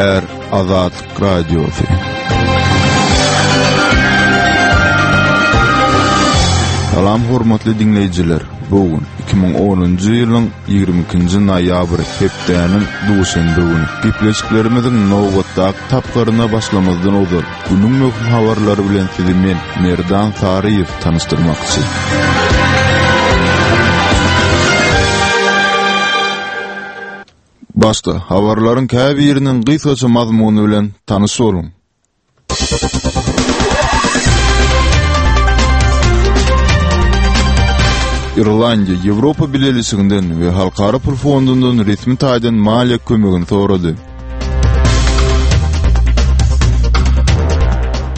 Gepleýär Azatlyk Radiosy. Salam hormatly diňleýjiler. Bu gün 2010-njy ýylyň 22-nji noýabry, hepdäniň duşenbe güni. Gepleşiklerimiziň nobatdaky tapgyryna başlamazdan ozal, günüň möhüm habarlary bilen sizi men, Merdan Saryýew tanyşdyrmakçy. Başda, habarlaryň käbiriniň gysgaça mazmuny bilen tanyş boluň. Irlandiýa Ýewropa Bileleşiginden we Halkara pul fondundan resmi taýdan maliýe kömegini sorady.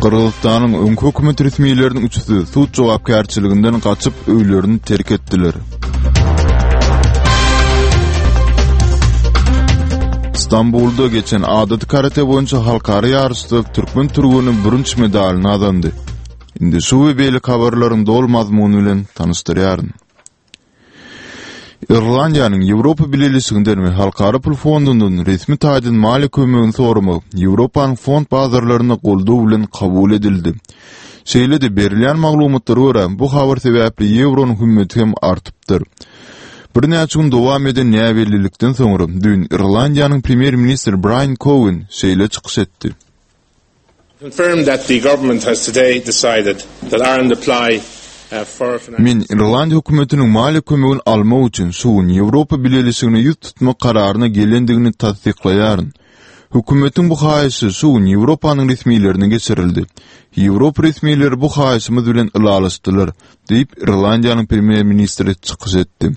Gyrgyzystanyň öňki hökümet resmileriniň üçüsi sud jogapkärçiliginden gaçyp, öýlerini terk etdiler. Stambulda geçen adaty karate boýunça halkara ýaryşda türkmen türgeni bürünç medalyny gazandy. Indi şu we beýleki habarlaryň doly mazmuny bilen tanyşdyrýaryn. Irlandiýanyň Ýewropa Bileleşiginden we Halkara pul fondundan resmi taýdan maliýe kömegini soramagy Ýewropanyň fond bazarlarynda goldaw bilen kabul edildi. Şeýle-de, berilýän maglumatlara görä, bu habar sebäpli ýewronyň hümmeti hem artypdyr. Birnäçe gün dowam eden näbellilikden soňra, düýn Irlandiýanyň premýer-ministri Braýan Kowen şeýle çykyş etdi. Men Irlandiýa hökümetiniň maliýe kömegini almak üçin şu gün Ýewropa Bileleşigine ýüz tutmak kararyna gelendigini tassyklaýaryn. Hökümetiň bu haýyşy şu gün Ýewropanyň resmilerine geçirildi. Ýewropa resmileri bu haýyşymyz bilen ylalaşdylar, diýip, Irlandiýanyň premýer-ministri çykyş etdi.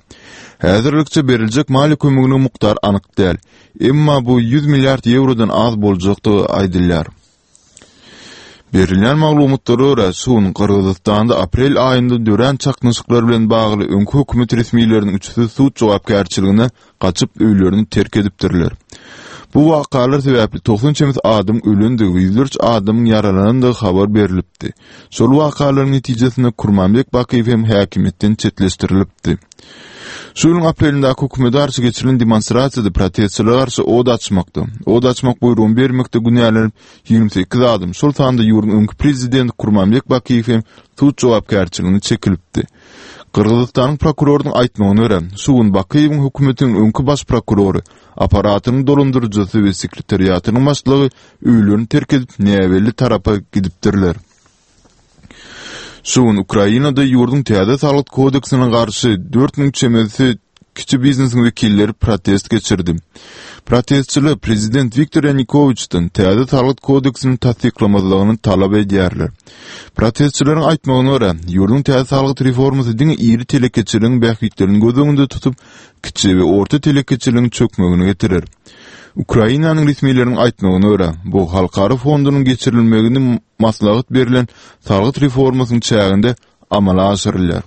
Häzirlikçe beriljek maliýe kömeginiň mukdary anyk däl. Emma bu 100 milliard ýewrodan az boljakdygy aýdylýar. Berilýän maglumatlara görä, şu gün Gyrgyzystanda aprel aýynda dörän çaknyşyklar bilen bagly öňki hökümet resmileriniň üçüsi sud jogapkärçiligine gaçyp, öýlerini terk edipdirler. Bu wakalar sebäpli 90 çemesi adamyň ölendigi we ýüzlerçe adamyň ýaralanandygy habar berlipdi. Şol wakalaryň netijesinde Kurmanbek Bakyýew hem häkimiýetden çetleşdirilipdi. Şu ýylyň aprelindäki hökümete garşy geçirilen demonstrasiýada protestçilere garşy od açmakda, od açmak buýrugyny bermekde günälenip, 28 adam, şol sanda ýurduň öňki prezidenti Kurmanbek Bakyýew hem sud jogapkärçiligine çekilipdi. Gyrgyzystanyň prokurorynyň aýtmagyna görä, şu gün Bakyýewiň hökümetiniň öňki baş prokurory, apparatynyň dolandyryjysy we sekretariatynyň başlygy öýlerini terk edip, näbelli tarapa gidipdirler. Şu gün Ukrainada ýurduň täze salgyt kodeksine garşy 4000 çemesi kiçi biznesiň wekilleri protest geçirdi. Protestçiler prezident Wiktor Ýanukowiçden täze salgyt kodeksini tassyklamazlygyny talap edýärler. Protestçileriň aýtmagyna görä, ýurduň täze salgyt reformasy diňe iri telekeçiligiň bähbitlerini göz öňünde tutup, kiçi we orta telekeçiligiň çökmegine getirer. Ukrainanyň resmileriniň aýtmagyna görä, bu halkara fondunyň geçirilmegini maslahat berlen salgyt reformasynyň çäginde amala aşyrylýar.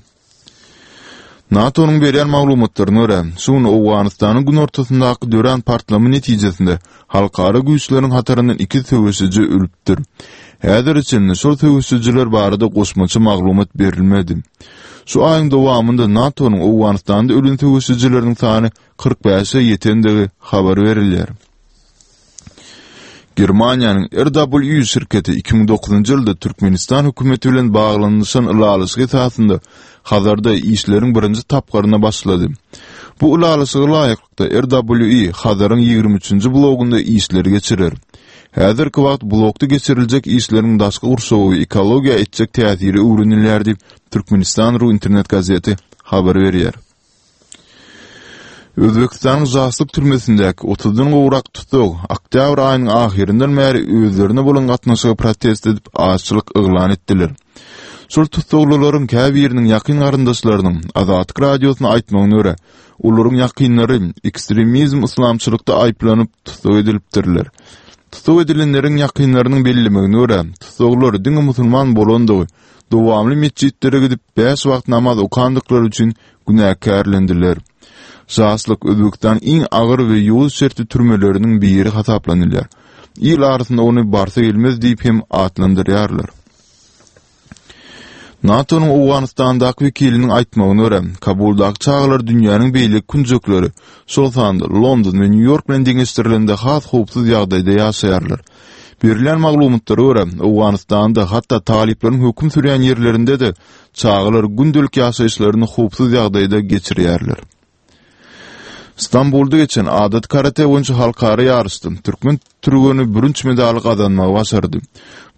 NATO-nyň berýän maglumatlaryna görä, şu gün Owganystanyň günortasyndaky dörän partlama netijesinde halkara güýçleriň hataryndan iki söweşiji ölüpdir. Häzire çenli şol söweşijiler barada goşmaça maglumat berilmedi. Şu aýyň dowamynda NATO-nyň Owganystanda ölen söweşijileriniň sany 45-e ýetendigi habar berilýär. Germaniýanyň RWE şirketi 2009-njy ýylda Türkmenistan hökümeti bilen baglanyşan ylalaşyk esasynda Hazarda işleriň birinji tapgyryna başlady. Bu ylalaşyga laýyklykda RWE Hazaryň 23-nji blogunda işleri geçirer. Häzirki wagt blokda geçiriljek işleriň daşky gurşawa we ekologiýa etjek täsiri öwrenilýär diýip, Türkmenistan. Ru internet gazeti habar berýär. Özbegistanyň Žaslyk türmesindäki otuzdan gowrak tussag oktýabr aýynyň ahyryndan bäri özlerine bolan gatnaşygy protest edip, açlyk yglan etdiler. Şol tussaglylaryň käbiriniň ýakyn garyndaşlarynyň Azatlyk Radiosyna aýtmagyna görä, olaryň ýakynlary ekstremizm yslamçylykda aýyplanyp tussag edilipdirler. Tussag edilenleriň ýakynlarynyň bellemegine görä, tussaglar diňe musulman bolandygy, dowamly metjitlere gidip, bäş wagt namaz okandyklary üçin günäkärlendiler. Žaslyk Özbegistanyň iň agyr we ýowuz şertli türmeleriniň biri hasaplanylýar. Il arasynda ony Barsa gelmez diýip hem atlandyrýarlar. NATO-nyň Owganystandaky wekiliniň aýtmagyna görä, Kabuldaky çagalar dünýäniň beýleki künjekleri, şol sanda London we Nýu-Ýork bilen deňeşdirilende has howpsuz ýagdaýda ýaşaýarlar. Berilýän maglumatlara görä, Owganystanda hatda talyplaryň höküm sürýän ýerlerinde-de çagalar gündelik ýaşaýyşlaryny howpsuz ýagdaýda geçirýärler. Stambulda geçen adaty karate boýunça halkara ýaryşda türkmen türgeni bürünç medaly gazanmagy başardy.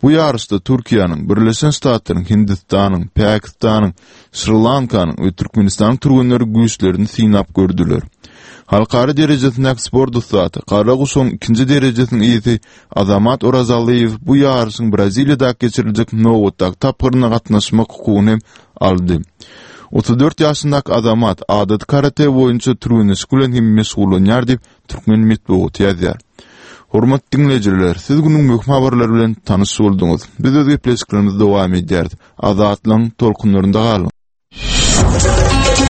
Bu ýaryşda Türkiýäniň, Birleşen Ştatlaryň, Hindistanyň, Pakistanyň, Şri-Lankanyň we Türkmenistanyň türgenleri güýçlerini synap gördüler. Halkara derejesindäki sport ussady, gara guşagyň ikinji derejesiniň eýesi Azamat Orazalyýew bu ýaryşyň Braziliýadaky geçiriljek nobatdaky tapgyryna gatnaşmak hukugyny hem aldy. 34 ýaşyndaky Azamat adaty karate boýunça türgenleşik bilen hem meşgullanýar diýip, türkmen metbugaty ýazýar. Hormatly diňleýjiler, siz günüň möhüm habarlary bilen tanyş bolduňyz. Biz öz gepleşiklerimizi dowam edýäris. Azatlygyň tolkunlarynda galyň!